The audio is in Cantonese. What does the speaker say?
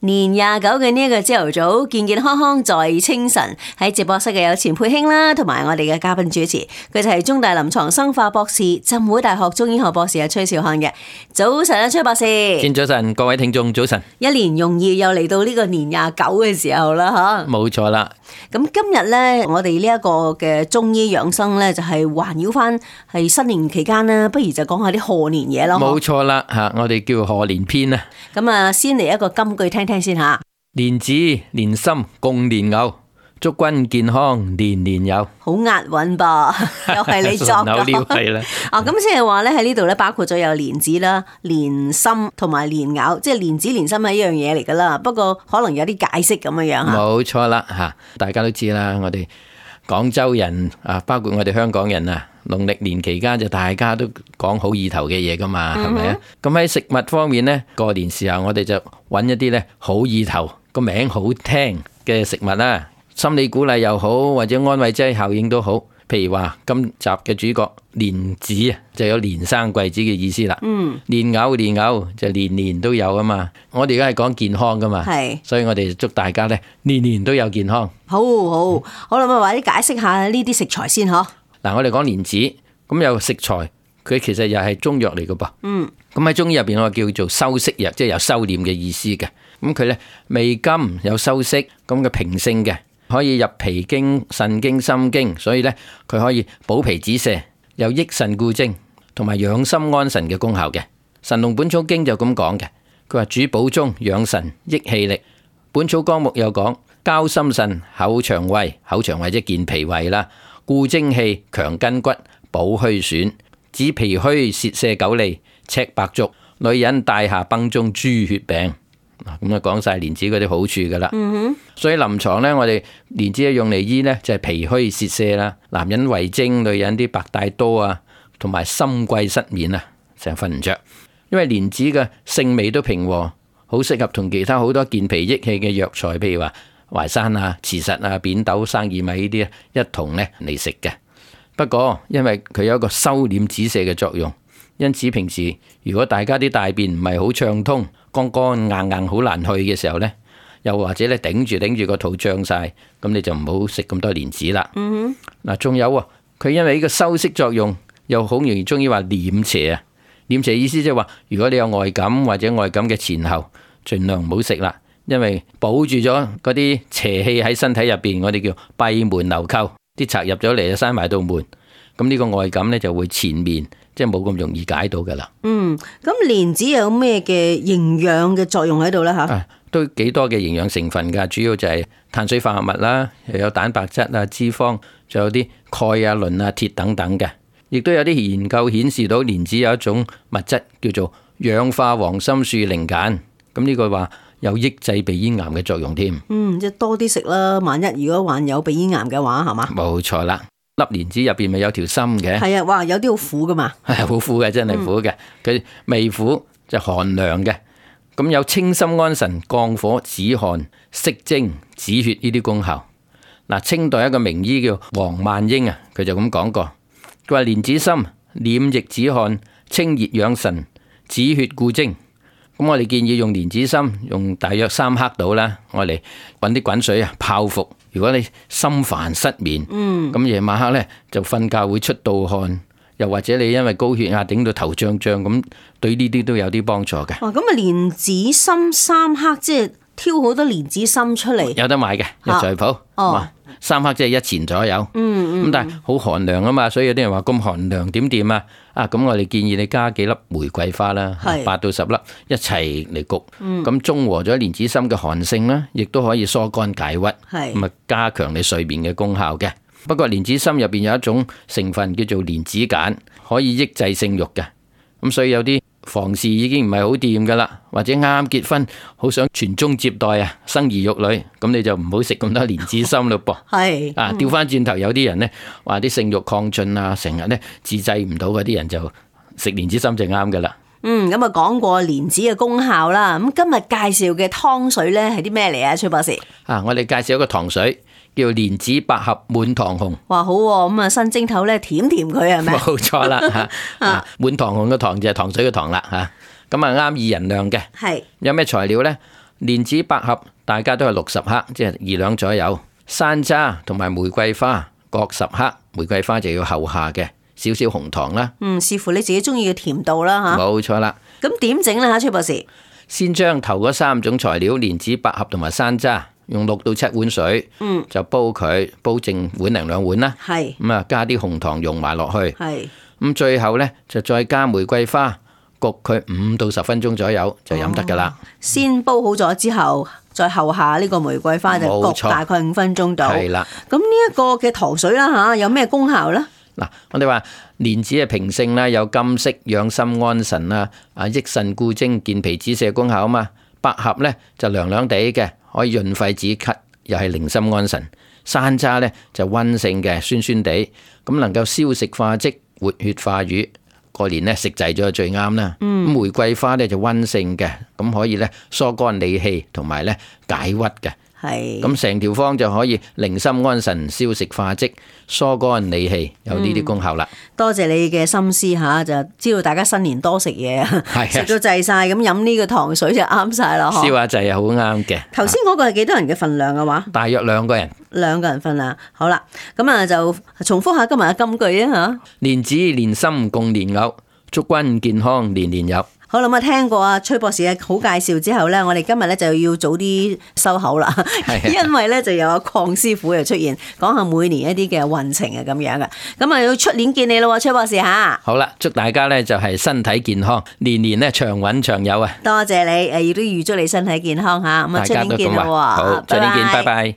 年29嘅呢一個朝頭早，健健康康在清晨。喺直播室嘅有錢佩卿啦，同埋我哋嘅嘉賓主持，佢就係中大臨床生化博士、浸會大學中醫學博士崔兆漢嘅。早晨啊，崔博士。早晨，各位聽眾早晨。一年容易又嚟到呢個年29嘅時候啦，吓。冇錯啦。咁今日咧，我哋呢一個嘅中醫養生咧，就係環繞翻係新年期間啦，不如就講下啲賀年嘢咯。冇錯啦，吓，我哋叫賀年篇啊。咁啊，先嚟一個金句聽聽先吓。年子年心共年牛，祝君健康年年有。好押韻噃，又係你作㗎。係啦。啊，咁即係話咧，喺呢度咧，包括咗有蓮子啦、蓮心同埋蓮藕，即係蓮子蓮心係一樣嘢嚟噶啦。不過可能有啲解釋咁樣樣吓。冇錯啦，吓，大家都知啦，我哋廣州人啊，包括我哋香港人啊，農曆年期間就大家都講好意頭嘅嘢噶嘛，係咪啊？咁喺食物方面咧，過年時候我哋就揾一啲咧好意頭，個名好聽嘅食物啦，心理鼓勵又好，或者安慰劑效應都好。譬如話今集嘅主角蓮子啊，就有連生貴子嘅意思啦。蓮藕就年年都有啊嘛。我哋而家係講健康噶嘛，所以我哋祝大家咧年年都有健康。好啦，咁或者解釋下呢啲食材先嗬。嗱，我哋講蓮子，咁有食材，佢其實又係中藥嚟噶噃。咁喺中醫入邊我叫做修飾藥，即係有修煉嘅意思嘅。咁佢咧味甘有修飾，咁嘅平性嘅。可以入脾經、腎經、心經，所以咧佢可以補脾止瀉，有益腎固精同埋養心安神嘅功效嘅。《神農本草經》就咁講嘅，佢話主補中、養腎、益氣力。《本草綱目》又講交心腎、厚腸胃，厚腸胃即係健脾胃啦，固精氣、強筋骨、補虛損，止脾虛、泄瀉久痢、赤白濁，女人帶下崩中諸血病。咁啊，講晒蓮子嗰啲好處噶啦。所以臨床咧，我哋蓮子用嚟醫咧就係脾虛泄瀉啦，男人遺精，女人啲白帶多啊，同埋心悸失眠啊，成日瞓唔着。因為蓮子嘅性味都平和，好適合同其他好多健脾益氣嘅藥材，譬如話淮山啊、慈實啊、扁豆、生薏米呢啲一同咧嚟食嘅。不過因為佢有一個收斂止瀉嘅作用，因此平時如果大家啲大便唔係好暢通，乾乾硬好難去嘅時候呢，又或者咧頂住個肚脹晒，咁你就唔好食咁多蓮子啦。嗱，仲有啊，佢因為呢個修飾作用，又好容易中醫話斂邪啊。斂邪意思即係話，如果你有外感或者外感嘅前後，盡量唔好食啦，因為保住咗嗰啲邪氣喺身體入邊，我哋叫閉門留寇，啲賊入咗嚟就閂埋道門，咁呢個外感呢就會纏綿。即係冇咁容易解到噶啦。咁蓮子有咩嘅營養嘅作用喺度咧？吓，都幾多嘅營養成分噶，主要就係碳水化合物啦，又有蛋白質啊、脂肪，仲有啲鈣啊、磷啊、鐵等等嘅。亦都有啲研究顯示到蓮子有一種物質叫做氧化黃心樹靈鹼，咁呢個話有抑制鼻咽癌嘅作用添。即係多啲食啦，萬一如果患有鼻咽癌嘅話，係嘛？冇錯啦。粒蓮子入邊咪有條心嘅，係啊，哇，有啲好苦噶嘛，係好苦嘅，真係苦嘅。佢味苦就寒涼嘅，咁有清心安神、降火止汗、息精止血呢啲功效。嗱，清代一個名醫叫黃萬英啊，佢就咁講過，佢話蓮子心斂液止汗、清熱養神、止血固精。咁我哋建議用蓮子心用大約3克到啦，我哋搵啲滾水啊泡服。如果你心煩失眠，咁夜晚黑咧就瞓覺會出盜汗，又或者你因為高血壓頂到頭脹脹，咁對呢啲都有啲幫助嘅。哇！咁啊蓮子心3克，即係挑好多蓮子心出嚟，有得買嘅藥材鋪。3克即係1錢左右。咁但係好寒涼啊嘛，所以有啲人話咁寒涼點掂啊？咁我哋建議你加幾粒玫瑰花啦，8到10粒一齊嚟焗，咁中和咗蓮子心嘅寒性啦，亦都可以疏肝解鬱，咁啊加強你睡眠嘅功效嘅。不過蓮子心入邊有一種成分叫做蓮子鹼，可以抑制性慾嘅，咁所以有啲房事已經唔係好掂噶啦，或者啱啱結婚，好想傳宗接代啊，生兒育女，咁你就唔好食咁多蓮子心咯噃。調翻轉頭，有啲人呢話啲性慾亢進啊，成日呢自制唔到嗰啲人就食蓮子心就啱噶啦。咁啊講過蓮子嘅功效啦，咁今日介紹嘅湯水呢係啲咩嚟啊？崔博士，我哋介紹一個糖水。叫蓮子百合滿堂紅。哇，好喎，咁啊新蒸頭咧甜甜佢係咪？冇錯啦，滿堂紅嘅糖就係糖水嘅糖啦，咁啊啱2人量嘅。係。有咩材料咧？蓮子、百合大家都係60克，即係2兩左右。山楂同埋玫瑰花各10克，玫瑰花就要後下嘅，少少紅糖啦。視乎你自己中意嘅甜度啦吓。冇錯啦。咁點整咧吓，崔博士？先將頭嗰3種材料，蓮子、百合同埋山楂，用6到7碗水，就煲佢，煲剩碗零2碗啦。係。咁啊，加啲紅糖溶埋落去。係。咁最後呢，就再加玫瑰花，焗佢5到10分鐘左右，就飲得噶啦。先煲好咗之後，再後下呢個玫瑰花就焗大概5分鐘度。係啦。咁呢一個嘅糖水啦吓，有咩功效呢？嗱，我哋話蓮子係平性啦，有甘息、養心安神啦，益腎固精、健脾止瀉功效啊嘛。百合呢就涼涼地嘅，可以潤肺止咳，又係寧心安神。山楂呢就溫性嘅，酸酸地，咁能夠消食化積、活血化瘀。過年呢食滯咗就最啱啦。玫瑰花呢就溫性嘅，咁可以呢疏肝理氣同埋呢解鬱嘅。係。咁成條方就可以寧心安神、消食化積、疏肝理氣，有呢啲功效啦。多謝你嘅心思吓，就知道大家新年多食嘢，食到滯晒咁飲呢個糖水就啱晒啦。燒下滯係好啱嘅。頭先嗰個係幾多人嘅份量嘅話？大約2個人。2個人份量。好啦，咁啊就重複下今日嘅金句啊吓。蓮子蓮心共蓮藕，祝君健康年年有。好啦，咁啊聽過啊崔博士嘅好介紹之後咧，我哋今日咧就要早啲收口啦，因為咧就有鄺師傅又出現，講下每年一啲嘅運程啊咁樣嘅，咁啊要出年見你咯，崔博士吓。好啦，祝大家咧就係身體健康，年年咧長穩長有啊！多謝你，亦都預祝你身體健康吓，咁啊出年見咯，好，出年見，拜拜。